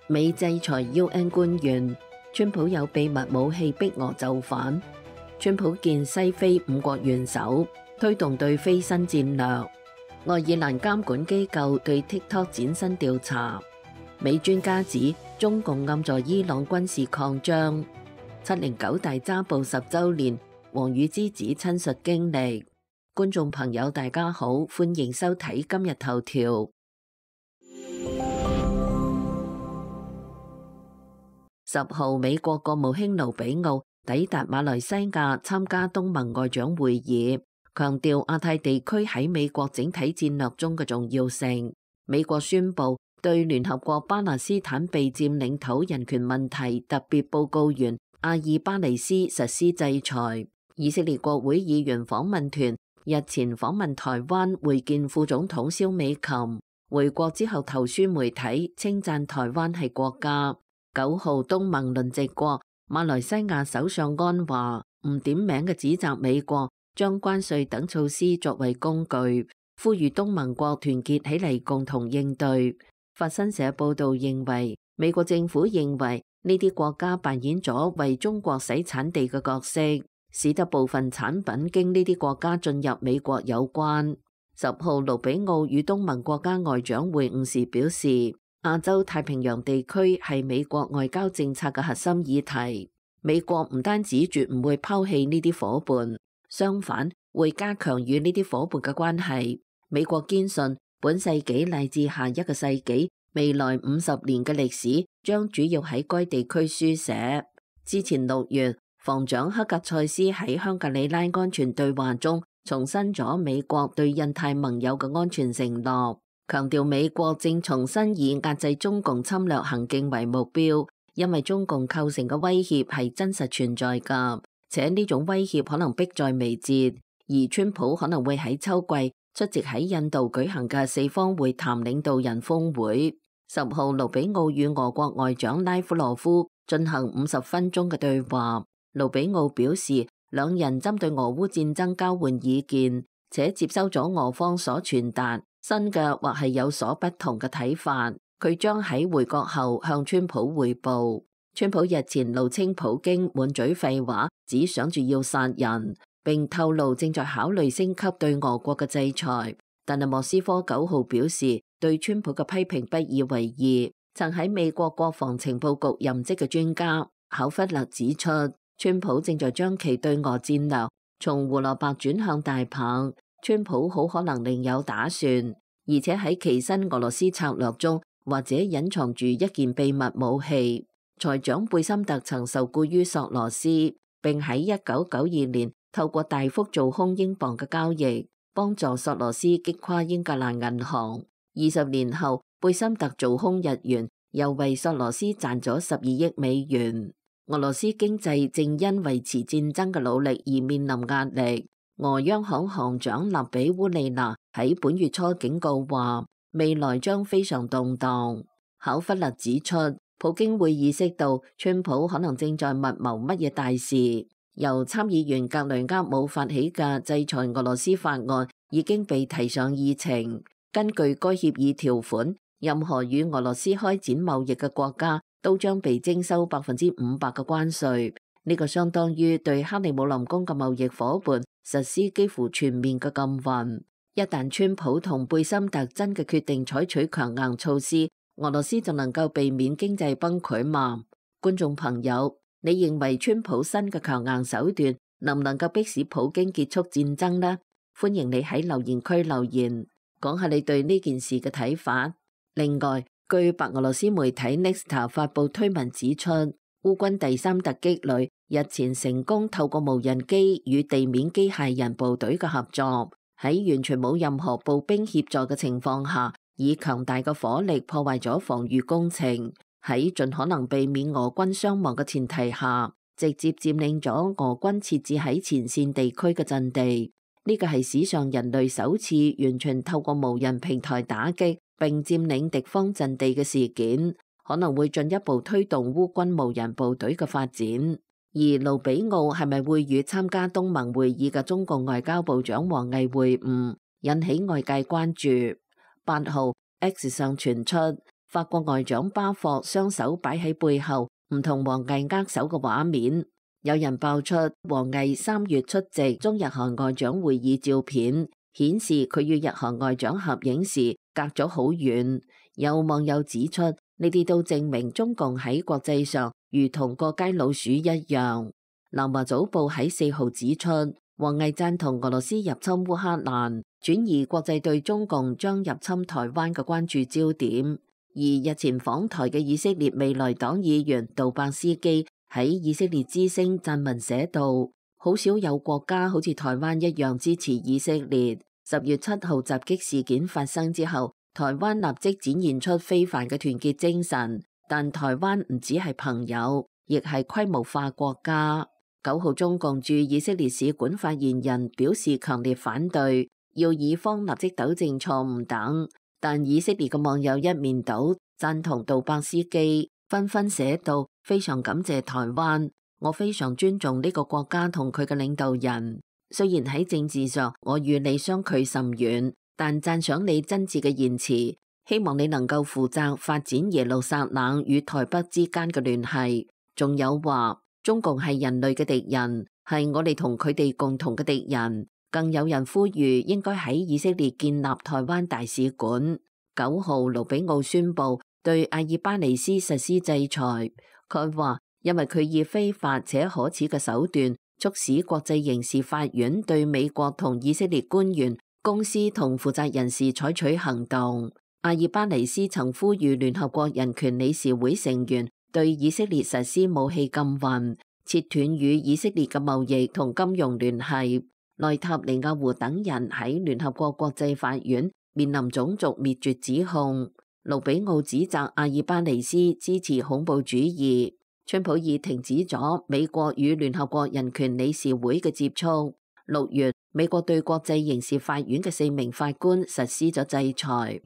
美制裁 UN 官員，川普有秘密武器逼俄就範。川普見西非5國元首，推動對非新戰略。愛爾蘭監管機構對 TikTok 展新調查。美專家指中共暗助伊朗軍事擴張。709大抓捕10週年，王羽之子親述經歷。觀眾朋友大家好，歡迎收睇今日頭條。10號，美國國務卿盧比奧抵達馬來西亞參加東盟外長會議，強調亞太地區喺美國整體戰略中嘅重要性。美國宣布對聯合國巴勒斯坦被佔領土人權問題特別報告員阿爾巴尼斯實施制裁。以色列國會議員訪問團日前訪問台灣，會見副總統蕭美琴。回國之後投書媒體，稱讚台灣係國家。9號，東盟輪值國馬來西亞首相安華唔點名嘅指責美國將關稅等措施作為工具，呼籲東盟國團結起嚟共同應對。法新社報道認為，美國政府認為呢啲國家扮演咗為中國洗產地嘅角色，使得部分產品經呢啲國家進入美國有關。10號，盧比奧與東盟國家外長會晤時表示，亞洲太平洋地區係美國外交政策嘅核心議題。美國唔單止絕唔會拋棄呢啲夥伴，相反會加強與呢啲夥伴嘅關係。美國堅信本世紀乃至下一個世紀未來50年嘅歷史將主要喺該地區書寫。之前6月，防長克格塞斯喺香格里拉安全對話中重申咗美國對印太盟友嘅安全承諾，強調美國正重新以壓制中共侵略行徑為目標，因為中共構成嘅威脅係真實存在㗎，且呢種威脅可能迫在眉睫。而川普可能會喺秋季出席喺印度舉行嘅4方會談領導人峰會。10號，盧比奧與俄國外長拉夫羅夫進行50分鐘嘅對話。盧比奧表示，兩人針對俄烏戰爭交換意見，且接收咗俄方所傳達新嘅或係有所不同嘅睇法。佢將喺回國後向川普匯報。川普日前怒稱普京滿嘴廢話，只想住要殺人，並透露正在考慮升級對俄國嘅制裁。但係莫斯科9號表示對川普嘅批評不以為意。曾喺美國國防情報局任職嘅專家考弗勒指出，川普正在將其對俄戰略從胡蘿蔔轉向大棒。川普好可能另有打算，而且喺其新俄羅斯策略中，或者隱藏住一件秘密武器。財長貝森特曾受僱於索羅斯，並喺1992年透過大幅做空英鎊嘅交易，幫助索羅斯擊垮英格蘭銀行。20年後，貝森特做空日元，又為索羅斯賺咗12億美元。俄羅斯經濟正因維持戰爭嘅努力而面臨壓力。俄央行行長納比烏利娜喺本月初警告話，未來將非常動盪。考弗勒指出，普京會意識到川普可能正在密謀乜嘢大事。由參議員格雷厄姆發起嘅制裁俄羅斯法案已經被提上議程。根據該協議條款，任何與俄羅斯開展貿易嘅國家都將被徵收500%嘅關稅。呢個相當於對克里姆林宮嘅貿易夥伴實施幾乎全面嘅禁運。一旦川普同貝森特真嘅決定採取強硬措施，俄羅斯就能夠避免經濟崩潰嘛？觀眾朋友，你認為川普新嘅強硬手段能唔能夠迫使普京結束戰爭呢？歡迎你喺留言區留言，講下你對呢件事嘅睇法。另外，據白俄羅斯媒體 Nexta 發布推文指出，烏軍第3突擊旅日前成功透過無人機與地面機械人部隊嘅合作，喺完全冇任何步兵協助嘅情況下，以強大嘅火力破壞咗防禦工程，喺盡可能避免俄軍傷亡嘅前提下，直接佔領咗俄軍設置喺前線地區嘅陣地。呢個係史上人類首次完全透過無人平台打擊並佔領敵方陣地嘅事件，可能會進一步推動烏軍無人部隊嘅發展。而盧比奧係咪會與參加東盟會議嘅中共外交部長王毅會晤，引起外界關注。8號 X 上傳出法國外長巴霍雙手擺喺背後，唔同王毅握手嘅畫面。有人爆出王毅3月出席中日韓外長會議照片，顯示佢與日韓外長合影時隔咗好遠。有網友指出，呢啲都證明中共喺國際上如同過街老鼠一樣。南華早報喺4號指出，王毅贊同俄羅斯入侵烏克蘭，轉移國際對中共將入侵台灣嘅關注焦點。而日前訪台嘅以色列未來黨議員杜伯斯基喺以色列之聲撰文寫道，好少有國家好似台灣一樣支持以色列。10月7號襲擊事件發生之後，台灣立即展現出非凡嘅團結精神，但台灣唔只係朋友，亦係規模化國家。9號中共駐以色列使館發言人表示強烈反對，要以方立即糾正錯誤等。但以色列嘅網友一面倒贊同杜伯斯基，紛紛寫道：非常感謝台灣，我非常尊重呢個國家同佢嘅領導人。雖然喺政治上我與你相距甚遠，但讚賞你真摯嘅言辭，希望你能夠負責發展耶路撒冷與台北之間嘅聯繫。仲有話，中共係人類嘅敵人，係我哋同佢哋共同嘅敵人。更有人呼籲應該喺以色列建立台灣大使館。9號盧比奧宣布對阿爾巴尼斯實施制裁。佢話，因為佢以非法且可恥嘅手段促使國際刑事法院對美國同以色列官員、公司同負責人士採取行動。阿爾巴尼斯曾呼籲聯合國人權理事會成員對以色列實施武器禁運，切斷與以色列嘅貿易同金融聯繫。內塔尼亞胡等人喺聯合國國際法院面臨種族滅絕指控。盧比奧指責阿爾巴尼斯支持恐怖主義。川普已停止咗美國與聯合國人權理事會嘅接觸。6月，美國對國際刑事法院嘅4名法官實施咗制裁。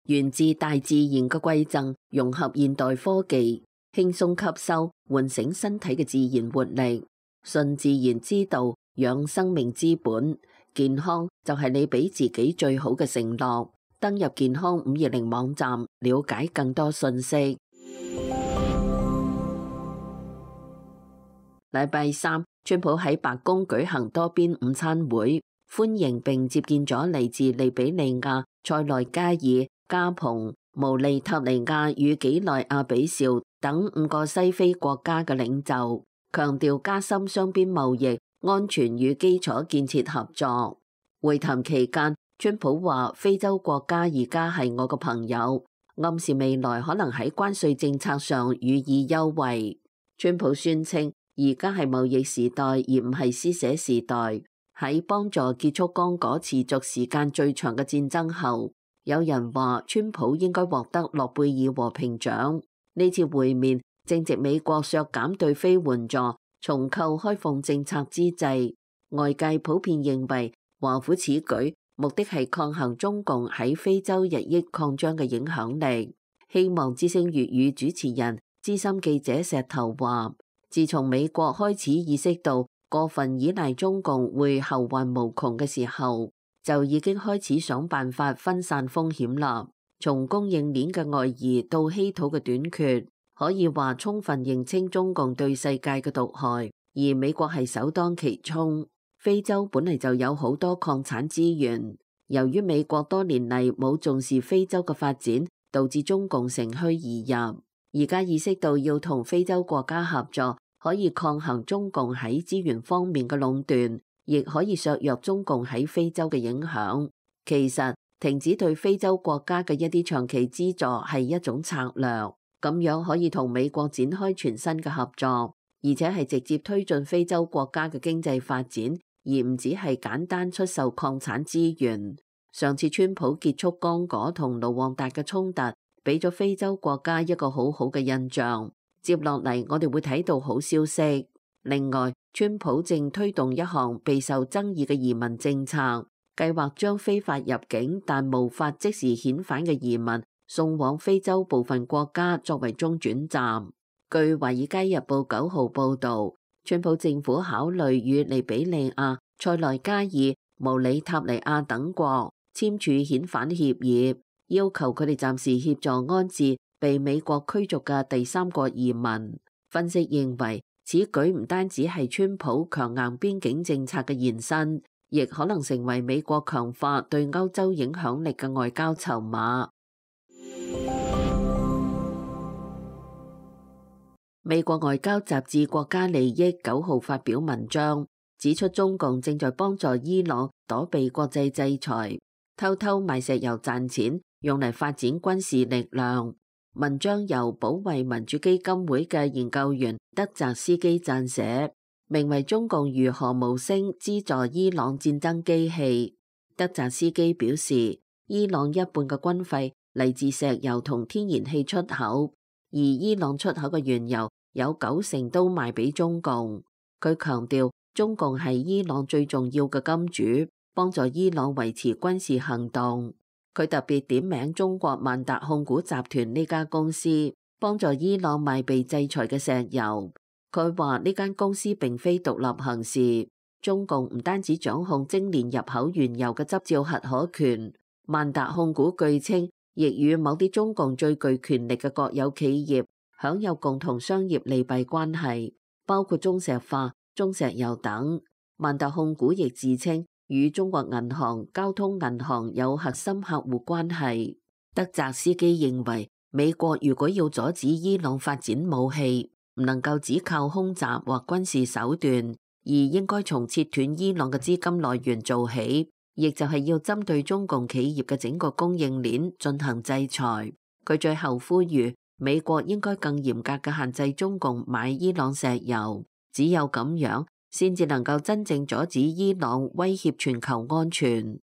源自大自然嘅饋贈，融合現代科技，輕鬆吸收，喚醒身體嘅自然活力。順自然之道，養生命之本，健康就係你俾自己最好嘅承諾。登入健康520網站，了解更多信息。禮拜三，川普喺白宮舉行多邊午餐會，歡迎並接見咗嚟自利比里亞、塞內加爾、加蓬、毛利塔尼亞與幾內亞比紹等5個西非國家嘅領袖，強調加深雙邊貿易、安全與基礎建設合作。會談期間，川普話非洲國家而家係我個朋友，暗示未來可能喺關稅政策上予以優惠。川普宣稱而家係貿易時代，而唔係施捨時代。喺幫助結束剛果持續時間最長嘅戰爭後，有人話川普應該獲得諾貝爾和平獎。呢次會面正值美國削減對非援助、重構開放政策之際，外界普遍認為華府此舉目的係抗衡中共喺非洲日益擴張嘅影響力。希望之聲粵語主持人資深記者石頭話，自從美國開始意識到過分依賴中共會後患無窮嘅時候，就已經開始想辦法分散風險啦。從供應鏈嘅外移到稀土嘅短缺，可以話充分認清中共對世界嘅毒害，而美國係首當其衝。非洲本嚟就有好多礦產資源，由於美國多年嚟冇重視非洲嘅發展，導致中共乘虛而入。而家意識到要同非洲國家合作，可以抗衡中共喺資源方面嘅壟斷，亦可以削弱中共喺非洲嘅影響。其實停止對非洲國家嘅一啲長期資助係一種策略，咁樣可以同美國展開全新嘅合作，而且係直接推進非洲國家嘅經濟發展，而唔只係簡單出售礦產資源。上次川普結束剛果同盧旺達嘅衝突，俾咗非洲國家一個好好嘅印象。接落嚟，我哋會睇到好消息。另外，川普正推動一項備受爭議嘅移民政策，計劃將非法入境但無法即時遣返嘅移民送往非洲部分國家作為中轉站。據《華爾街日報》9號報導，川普政府考慮與利比里亞、塞內加爾、毛里塔尼亞等國簽署遣返協議。要求佢哋暫時協助安置被美國驅逐嘅第三國移民。分析認為，此舉唔單止係川普強硬邊境政策嘅延伸，亦可能成為美國強化對歐洲影響力嘅外交籌碼。美國外交雜誌《國家利益》9號發表文章，指出中共正在幫助伊朗躲避國際制裁，偷偷賣石油賺錢，用嚟發展軍事力量。文章由保衛民主基金會嘅研究員德澤斯基撰寫，名為《中共如何無聲資助伊朗戰爭機器》。德澤斯基表示，伊朗一半嘅軍費嚟自石油同天然氣出口，而伊朗出口嘅原油有90%都賣俾中共。佢強調，中共係伊朗最重要嘅金主，幫助伊朗維持軍事行動。佢特別點名中國萬達控股集團呢家公司，幫助伊朗賣被制裁嘅石油。佢話呢間公司並非獨立行事，中共唔單止掌控精煉入口原油嘅執照核可權，萬達控股據稱亦與某啲中共最具權力嘅國有企業享有共同商業利弊關係，包括中石化、中石油等。萬達控股亦自稱與中國銀行、交通銀行有核心客戶關係。德澤斯基認為，美國如果要阻止伊朗發展武器，唔能夠只靠空襲或軍事手段，而應該從切斷伊朗嘅資金來源做起，亦就係要針對中共企業嘅整個供應鏈進行制裁。佢最後呼籲美國應該更嚴格嘅限制中共買伊朗石油，只有咁樣先至能夠真正阻止伊朗威脅全球安全。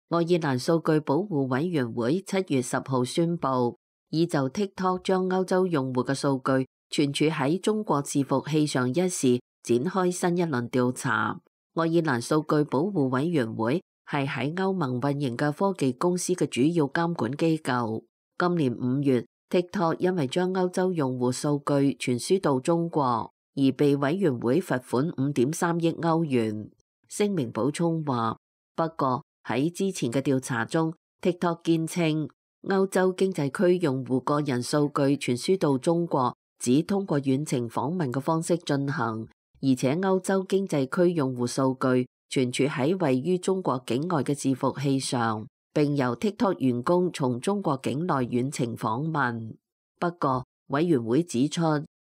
愛爾蘭數據保護委員會7月10號宣布，已就 TikTok 將歐洲用戶嘅數據存儲喺中國伺服器上一事展開新一輪調查。愛爾蘭數據保護委員會係喺歐盟運營嘅科技公司嘅主要監管機構。今年5月，TikTok 因為將歐洲用戶數據傳輸到中國，而被委員會罰款5.3億歐元。聲明補充話，不過喺之前嘅調查中 ，TikTok 堅稱歐洲經濟區用戶個人數據傳輸到中國只通過遠程訪問嘅方式進行，而且歐洲經濟區用戶數據存儲喺位於中國境外嘅伺服器上，並由 TikTok 員工從中國境內遠程訪問。不過，委員會指出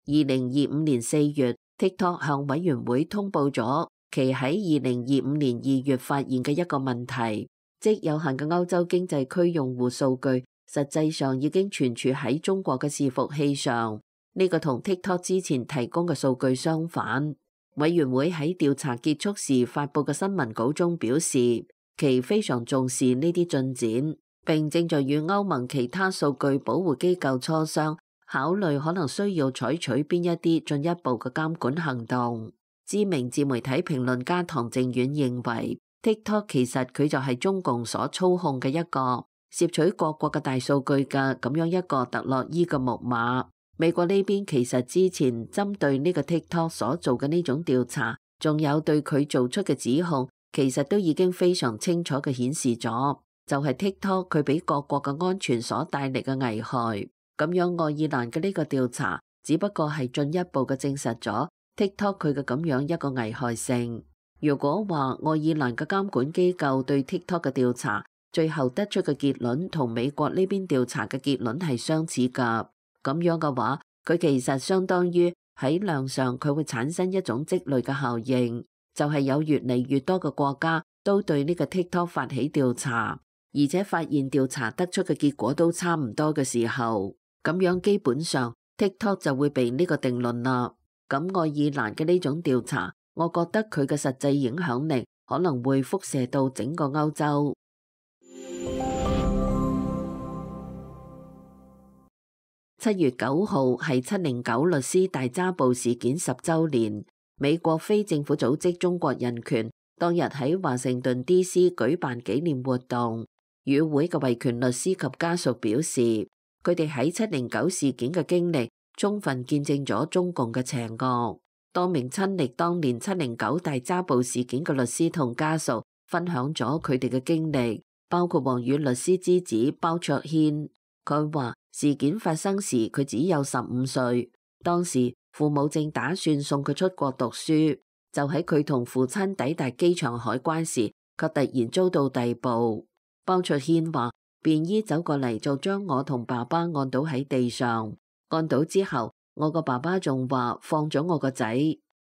，2025年4月 ，TikTok 向委員會通報咗其喺2025年2月發現嘅一個問題，即有限嘅歐洲經濟區用戶數據實際上已經存儲喺中國嘅伺服器上。呢個同 TikTok 之前提供嘅數據相反。委員會喺調查結束時發佈嘅新聞稿中表示，其非常重視呢啲進展，並正在與歐盟其他數據保護機構磋商，考慮可能需要採取邊一啲進一步嘅監管行動。知名自媒體評論家唐正遠認為 ，TikTok 其實佢就係中共所操控嘅一個攝取各國嘅大數據嘅咁樣一個特洛伊嘅木馬。美國呢邊其實之前針對呢個 TikTok 所做嘅呢種調查，仲有對佢做出嘅指控，其實都已經非常清楚嘅顯示咗，就係 TikTok 佢俾各國嘅安全所帶嚟嘅危害。咁樣愛爾蘭嘅呢個調查，只不過係進一步嘅證實咗 TikTok 佢嘅咁樣一個危害性。如果話愛爾蘭嘅監管機構對 TikTok 嘅調查，最後得出嘅結論同美國呢邊調查嘅結論係相似㗎，咁樣嘅話，佢其實相當於喺量上佢會產生一種積累嘅效應，就係有越嚟越多嘅國家都對呢個 TikTok 發起調查，而且發現調查得出嘅結果都差唔多嘅時候，咁樣基本上 TikTok 就會被呢個定論啦。咁愛爾蘭嘅呢種調查，我覺得佢嘅實際影響力可能會輻射到整個歐洲。7月9號係709律師大抓捕事件10週年，美國非政府組織中國人權當日喺華盛頓 D.C. 舉辦紀念活動。與會嘅維權律師及家屬表示，佢哋喺709事件嘅經歷充分見證咗中共嘅邪惡。多名親歷當年709大抓捕事件嘅律師同家屬分享咗佢哋嘅經歷，包括王宇律師之子包卓軒。佢話事件發生時佢只有15歲，當時父母正打算送佢出國讀書，就喺佢同父親抵達機場海關時，卻突然遭到逮捕。包卓軒話便衣走過嚟就將我同爸爸按倒喺地上，按倒之後我個爸爸仲話放咗我個仔，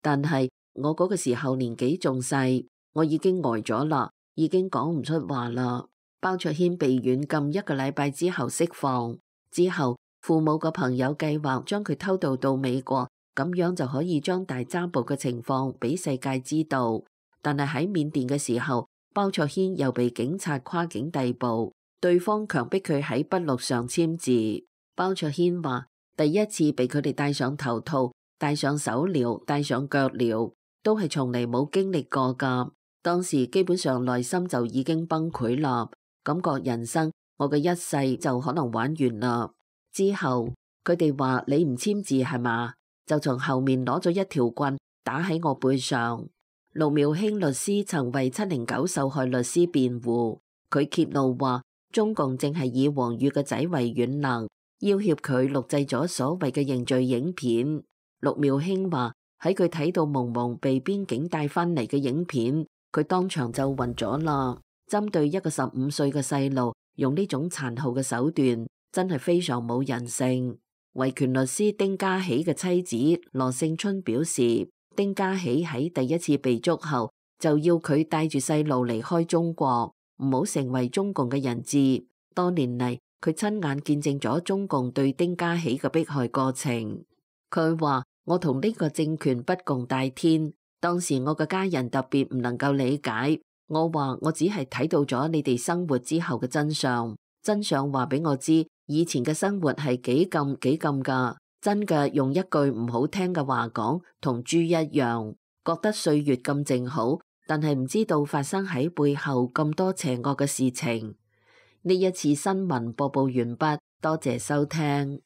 但係我嗰個時候年紀仲細，我已經呆咗啦，已經講唔出話啦。包卓軒被軟禁1個禮拜之後釋放，之後父母個朋友計劃將佢偷渡到美國，咁樣就可以將大抓捕嘅情況俾世界知道。但係喺緬甸嘅時候，包卓軒又被警察跨境逮捕，對方強迫佢喺筆錄上簽字。包卓軒話第一次被佢哋戴上頭套、戴上手鐐、戴上腳鐐，都係從嚟冇經歷過噶。當時基本上內心就已經崩潰啦，感覺人生我嘅一世就可能玩完啦。之後佢哋話你唔簽字係嘛，就從後面攞咗一條棍打喺我背上。陸妙卿律師曾為709受害律師辯護，佢揭露話中共正係以王宇嘅仔為軟肋，要挾佢錄製咗所謂嘅認罪影片。陸妙卿話喺佢睇到蒙蒙被邊境帶返嚟嘅影片，佢當場就暈咗啦。針對一個15歲嘅細路用呢種殘酷嘅手段，真係非常冇人性。維權律師丁家喜嘅妻子羅勝春表示，丁家喜喺第一次被捉後就要佢帶住細路離開中國，唔好成為中共嘅人質。多年嚟，佢親眼見證咗中共對丁家喜嘅迫害過程。佢話我同呢個政權不共戴天，當時我嘅家人特別唔能夠理解。我話我只係睇到咗你哋生活之後嘅真相，真相話俾我知以前嘅生活係幾咁噶。真嘅用一句唔好聽嘅話講，同豬一樣，覺得歲月咁靜好，但係唔知道發生喺背後咁多邪惡嘅事情。呢一次新聞播報完畢，多謝收聽。